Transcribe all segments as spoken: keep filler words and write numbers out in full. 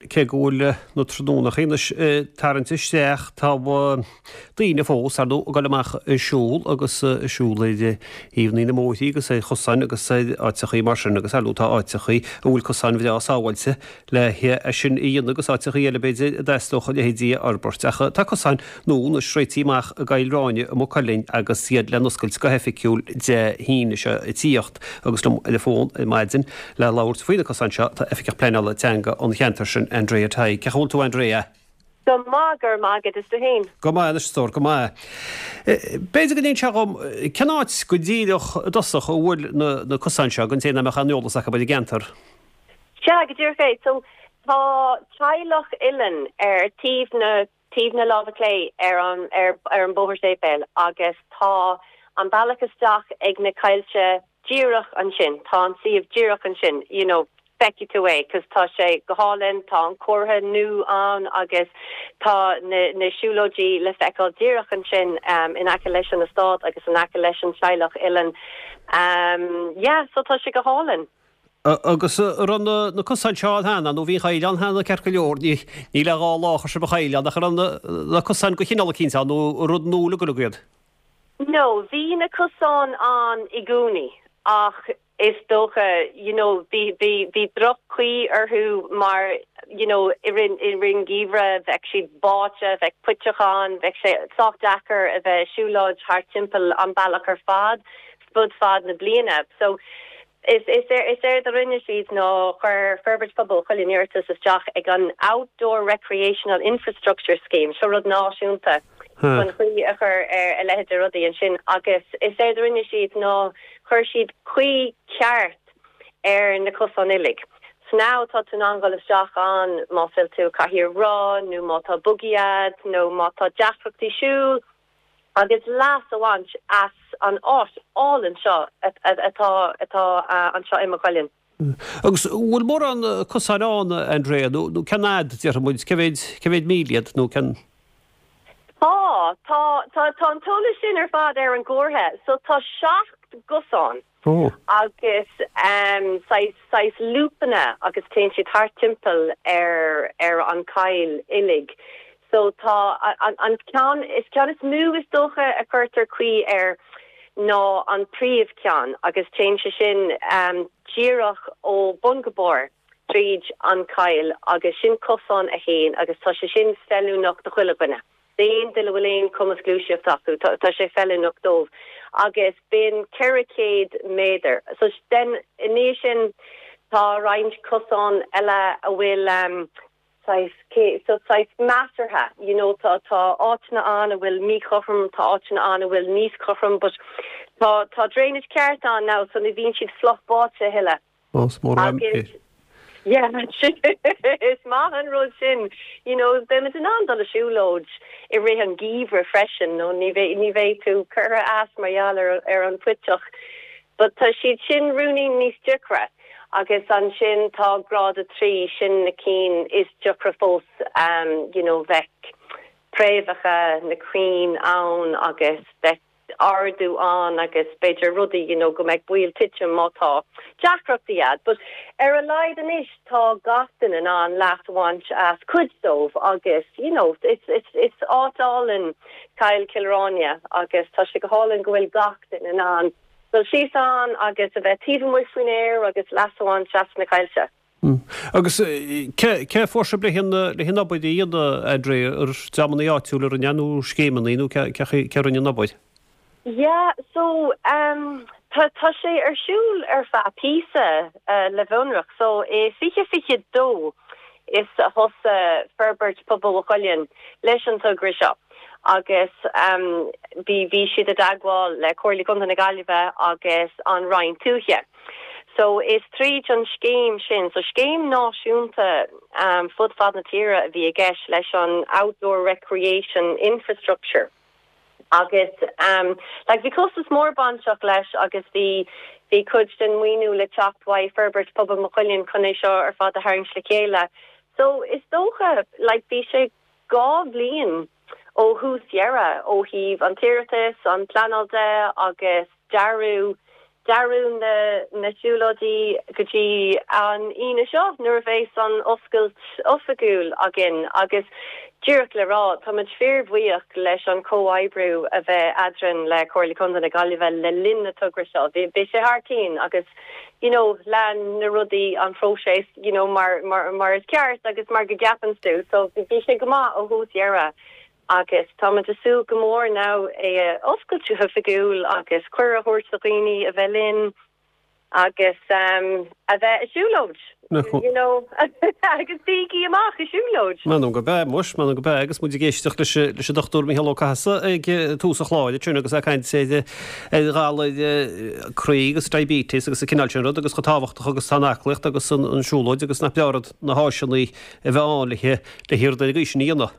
cé go bhfuil na tráthnónachaí anois ag tarraingt isteach, tá daoine fós, ar ndóigh, ag dul amach ag siúl agus ag siúl ar thaobhanna na mbóithrí agus ar chosáin agus ar áiteachaí mar sin agus ar ndóigh tá áiteachaí a bhfuil cosáin bhreá sábháilte le é sin a dhéanamh agus áiteachaí eile b'fhéidir a dteastódh a leithéidí a fhorbairt. Ach tá cosáin nua anois réitithe amach i gCoill Ráine i Maigh Cuilinn agus iad le n-oscailt go hoifigiúil Dé hAoine seo ag tíocht agus liom ar an bhfón ar maidin le labhairt faoi na cosáin seo tá Oifigeach Pleanála Teanga an cheantair sin, Andrea Tighe. Cén chaoi a bhfuil tú Andrea? Go maith, go raibh maith agat, is tú féin? Go maith anois a stór, go maith. B'fhéidir go n-inseofá dhom cén áit go díreach i dtosach a bhfuil na cosáin seo don té nach mbeadh aon eolas acu ar an gceantar? Sea, go díreach é. So, tá teaghlach Uilleann ar taobh na taobh na láimhe clé ar an ar ar an bóthar séipéil agus tá an bealach isteach ag na coillte díreach ansin, tá an suíomh díreach ansin, you know, feicfidh tú é 'cause tá sé go hálainn, tá an comhartha nua ann agus tá na na siúlóidí le feiceáil díreach ansin um, in aice leis an eastát agus in aice leis an teaghlach Uilleann. Um, yeah, so tá sé go hálainn. Agus an raibh na na cosáin seo ann cheana nó bhí an choill ann cheana ceart go leor, ní ní le dhá lá a chuir sibh an choill ann ach an raibh na na cosáin de chineál eicínt ann nó rud nua uilig iad? No, bhí na cosáin ann i gcónaí ach is dócha you know bhí bhí bhí droch-chaoi orthu mar you know i rith i rith an gheimhridh bheadh siad báite, bheadh puiteach ann, bheadh sé sách deacair a bheith siúlóid thart timpeall an bealach ar fad fud fad na bliana. So is is é is éard a rinne siad ná chuir Forbairt Pobail Mhaigh Cuilinn iarratas isteach ag an Outdoor Recreational Infrastructure Scheme, seo rud náisiúnta chun caoi a chur ar a leithéid de rudaí ansin agus is éard a rinne siad ná chuir siad caoi ceart ar na cosáin uilig. So now tá tú in ann dul isteach ann má bhfuil tú cathaoir roth nó má tá buggy agat nó má tá deacrachtaí siúil agus leas a bhaint as an áit álainn seo atá atá anseo i Maigh Cuilinn. Agus bhfuil mórán cosáin ann, Andrea, nó nó cén fhad, déarfaidh muid, cé mhéid cé mhéid míle iad nó cén. Tá, tá, tá tá an t-eolas sin ar fad ar an gcomhartha, so tá seacht gcosán agus um, saghas saghas lúpanna agus téann siad thart timpeall ar ar an choill uilig. So tá an, an ceann is ceann is mó is dócha a chuirtear caoi air ná an príomhcheann agus téann sé sin um, díreach ó bun go barr tríd an choill agus sin cosán a haon agus tá sé sin feiliúnach do chuile dhuine. D'aon duine a bhfuil aon cumas gluaiseachta acu tá sé feiliúnach dóibh agus bíonn ceithre chéad méadar. So den i ndiaidh sin tá roinnt cosán eile a bhfuil um, so saghas measartha you know tá tá áiteanna ann a bhfuil míchothrom tá áiteanna ann a bhfuil níos cothrom but tá tá drainage ceart ann now so ní bhíonn siad fliuch báite a thuilleadh. Agus yeah is maith an rud sin you know beimid in ann dul a siúlóid i rith an gheimhridh freisin nó ní bheidh ní bheidh tú curtha as mar gheall ar ar an phuiteach. But tá siad sin ruainnín níos deacra agus ansin tá grád a trí sin na cinn is deacra fós um, you know bheadh préamhacha na crainn ann agus bheadh ardú ann agus b'fhéidir rudaí you know go mbeidh baol titim má tá deacrachtaí agat but ar a laghad anois tá gach duine in ann leas a bhaint as cuid dóibh agus you know it's it's it's áit álainn Coill Chill Airne agus tá sé go hálainn go bhfuil gach duine in ann dul síos ann agus a bheith taobh amuigh faoin aer agus leas a bhaint as na coillte. Mm. Agus cé cé fuair sibh le hin le hin obair a dhéanamh Andrea ar dreamanna áitiúla a rinne nó scéimeanna nó cé cé rinne an obair? Yeah, so um, tá tá sé ar siúl ar feadh píosa uh, le bhonrach, so i fiche fiche dó is a thosaigh Forbairt Pobail Mhaigh Cuilinn leis an togra seo. agus um, bhí bhí siad i dteagmháil le Comhairle Contae na Gaillimhe agus an Roinn Tuaithe. So is tríd an scéim sin, so scéim náisiúnta um, fud fad na tíre a bhí i gceist leis an outdoor recreation infrastructure. Agus um, like, bhí costas mór bainteach leis agus bhí bhí cuid den mhaoiniú le teacht uaidh Forbairt Pobail Mhaigh Cuilinn chun é seo ar fad a tharraingt le chéile. So is dócha like, bhí sé dhá bhliain ó thús deireadh ó thaobh an t-iarratas an pleanáil de agus dearadh dearadh na na siúlóidí go dtí an Aoine seo nuair a bheas an oscailt oifigiúil againn agus díreach le rá táimid fíorbhuíoch leis an comhoibriú a bheith eadrainn le Comhairle Contae na Gaillimhe le linn na togra seo. Bhí bhí sé thar cinn agus you know lean na rudaí an phróiseas you know mar mar mar is ceart agus mar go gceapann tú so bhí sé go maith ó thús deireadh agus táimid ag súil go mór now é a oscailt go hoifigiúil agus cuireadh a thabhairt do dhaoine a bheith linn agus um, a bheith ag siúlóid you know agus bígí amach ag siúlóid. M'anam gurb ea muis m'anam gurb ea agus muid ag éisteacht leis leis an Dochtúir Mícheál Ó Cathasaigh ag tús an chláir sin agus ag caint ar ghalair croí agus diabetes agus an cineál sin rud agus chomh tábhachtach agus tá an aclaíocht agus an an siúlóid agus nach breá rud na háiseanna a bheith ann le le hiarraidh ar an gcaoi sin a dhéanamh.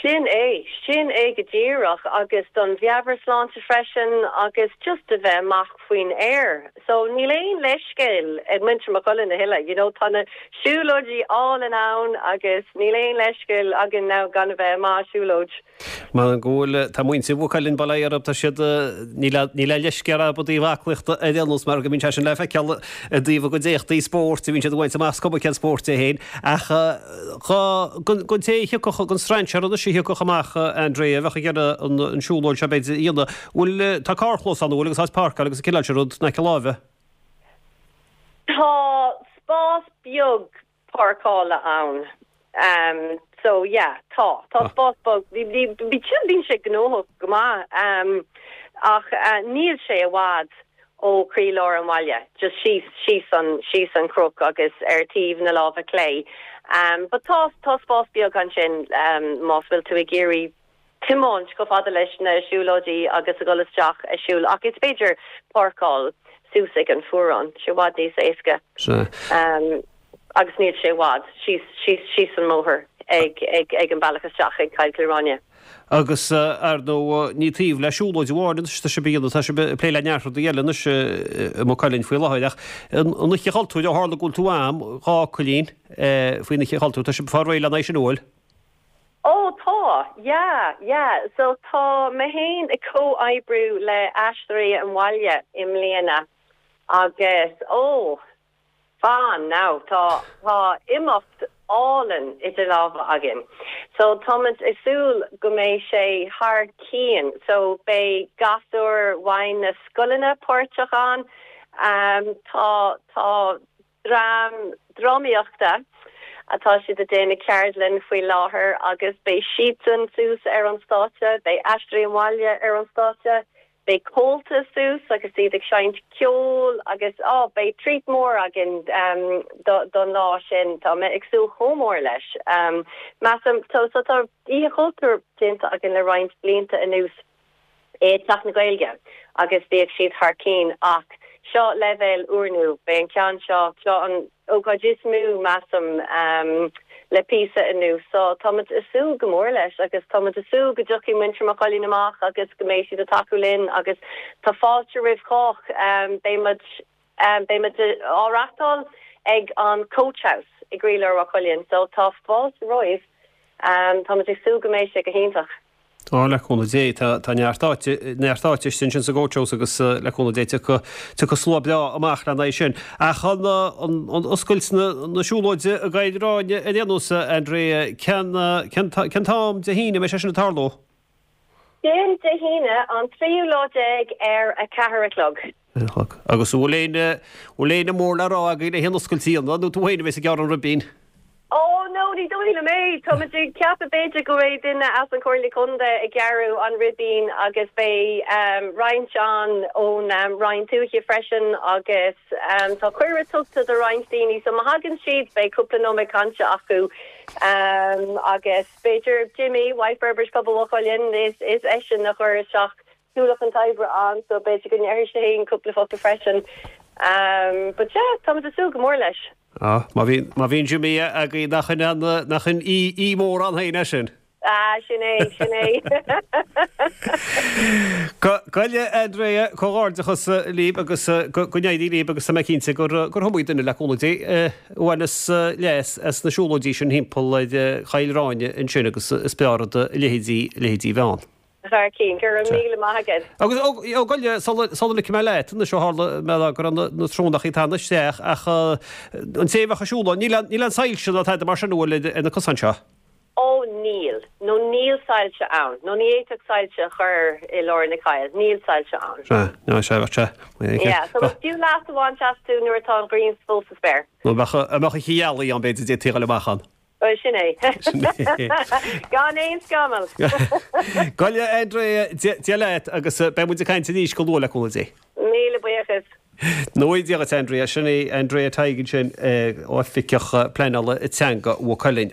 Sin é, sin é go díreach agus don mheabhairshláinte freisin agus just a bheith amach faoin aer. So níl aon leithscéal ag muintir Mhaigh Cuilinn a thuilleadh, you know, tá na siúlóidí álainn ann agus níl aon leithscéal againn now gan a bheith amach ag siúlóid. M'anam go bhfuil tá muintir Mhaigh Cuilinn bail ó Dhia orthu tá siad níl níl a leithscéal acu i dtaobh aclaíochta ar aon nós mar go mbíonn sé sin le feiceáil i dtaobh a gcuid éachtaí spóirt a bhíonn siad ag baint amach is cuma cén spórt é féin ach don té a thiocfadh don strainséir anois a thiocfadh amach Andrea a bheadh ag iarraidh an an siúlóid seo b'fhéidir a dhéanamh bhfuil tá carrchlós ann bhfuil agus áit páirceáil agus an cineál sin rud in aice láimhe. Tá spás beag páirceála ann. Um, so yeah, tá tá spás beag bhí bhí bíonn sé gnóthach go maith um, ach uh, níl sé i bhfad ó chroílár an bhaile, just síos síos an síos an cnoc agus ar taobh na láimhe clé. Um, but tá tá spás beag ansin um, más bhfuil tú ag iarraidh tiomáint chomh fada leis na siúlóidí agus a dhul isteach ag siúl ach is féidir páirceáil suas ag an fuarán sé i bhfad níos éasca. Um, agus níl sé i bhfad síos síos síos an mbóthar ag ag ag an bealach isteach ag Cill Ráine. Agus ar ndóigh ní taobh le siúlóid amháin anois tá sibh tá sibh ag plé le neart rudaí eile anois i Maigh Cuilinn faoi láthair ach an Oíche Chultúir ó tharla go bhfuil tú a'm dhá fhocailín faoin Oíche Chultúir tá sibh ag fáil réidh lena aghaidh sin an bhfuil? Ó tá, yeah, yeah. So tá mé féin ag comhoibriú le Aisteoirí an Bhaile i mbliana agus ó fan now tá tá imeacht álainn idir lámha againn. So táimid ag súil go mbeidh sé thar cionn, so beidh gasúir ó na scoileanna páirteach ann. Um, tá tá dream drámaíochta atá siad ag déanamh ceardlann faoi láthair agus beidh siadsan suas ar an stáitse, beidh Aisteoirí an Bhaile ar an stáitse, beidh Comhaltas suas agus iad ag seinnt ceol agus á beidh treat mór againn um, do, don lá sin tá mé ag súil chomh mór leis. Um, Measaim so tá Oíche Chultúir déanta againn le roinnt blianta anuas é Teach na Gaeilge agus bhíodh siad thar cinn ach seo leibhéal úrnua beidh an ceann seo seo an ócáid is mó measaim um, le píosa anuas so táimid ag súil go mór leis agus táimid ag súil go dtiocfaidh muintir Mhaigh Cuilinn amach agus go mbeidh siad ag tacú linn agus tá fáilte roimh chách um, beimid um, beimid á reáchtáil ag an Coach House i gcroílár Mhaigh Cuilinn so tá fáilte roimh um, táimid ag súil go mbeidh sé go hiontach. Tá le cúnamh Dé tá tá neart áite neart áite sin sin sa gCoach House agus le cúnamh Dé tiocfaidh slua breá amach lena aghaidh sin. Ach an an an oscailt na na siúlóide i gCill Ráine ar aon nós Andrea cén cén cén t-am Dé hAoine mbeidh sé sin ag tarlú? Sin Dé hAoine an tríú lá déag ar a ceathair a chlog. Agus bhfuil aon bhfuil éinne mór le rá againn le haon oscailt nó tú féin a bheas ag gearradh an ribín. Oh no ní dóigh liom é Tá ceapaim b'fhéidir go mbeidh duine as an Chomhairle Contae ag gearradh an ribín agus beidh um, roinnt an ón um, Roinn Tuaithe freisin agus um, tá cuireadh tugtha do roinnt daoine so má thagann siad beidh cúpla nóiméad cainte acu um, agus b'fhéidir Jimmy White Burbage pobal Mhaigh Cuilinn is is eisean a chuir isteach Tulach an Tiber an so b'fhéidir go ndéarfaidh sé féin cúpla focal freisin. Um, but yeah, tá ag súil go mór leis. Ah, má bhí má bhíonn Jimmy againn nach in nach in í í mór an héine sin. Ah sin é sin é. Goile Andrea comhghairdeachas libh agus go n-éirí libh agus tá mé cinnte gur gur iomaí duine le cúnamh Dé a bhaineas leas as na siúlóidí sin timpeall ar Chill Ráine ansin agus is breá rud leithéidí leithéidí bhean. Thar cionn, go raibh míle maith agat. Agus ó goile sula ligfidh mé leat, anois ó tharla mé go raibh na trónachaí ag teannadh isteach ach an té a bheadh ag siúl ann, níl níl aon soilse ná tada mar sin an bhfuil ar na cosáin seo? Ó níl, nó níl soilse ann, nó ní fhéadfadh soilse a chur i lár na coille, níl soilse ann. Sea, ná sea, bheadh sé. Yeah, so is fiú leas a bhaint astu nuair atá an ghrian fós sa spéir. Nó bheadh an mbeadh oíche ghealaí ann b'fhéidir d'fhéadfaí a dhul amach ann. Bhuel, sin é. Gan aon scamall. Gabh i leith Andrea, Dia leat agus beidh muid ag caint arís go luath le cúnamh Dé. Míle buíochas. Nó Dia dhuit Andrea, sin í Andrea Tighe ansin, Oifigeach Pleanála Teanga Mhaigh Cuilinn.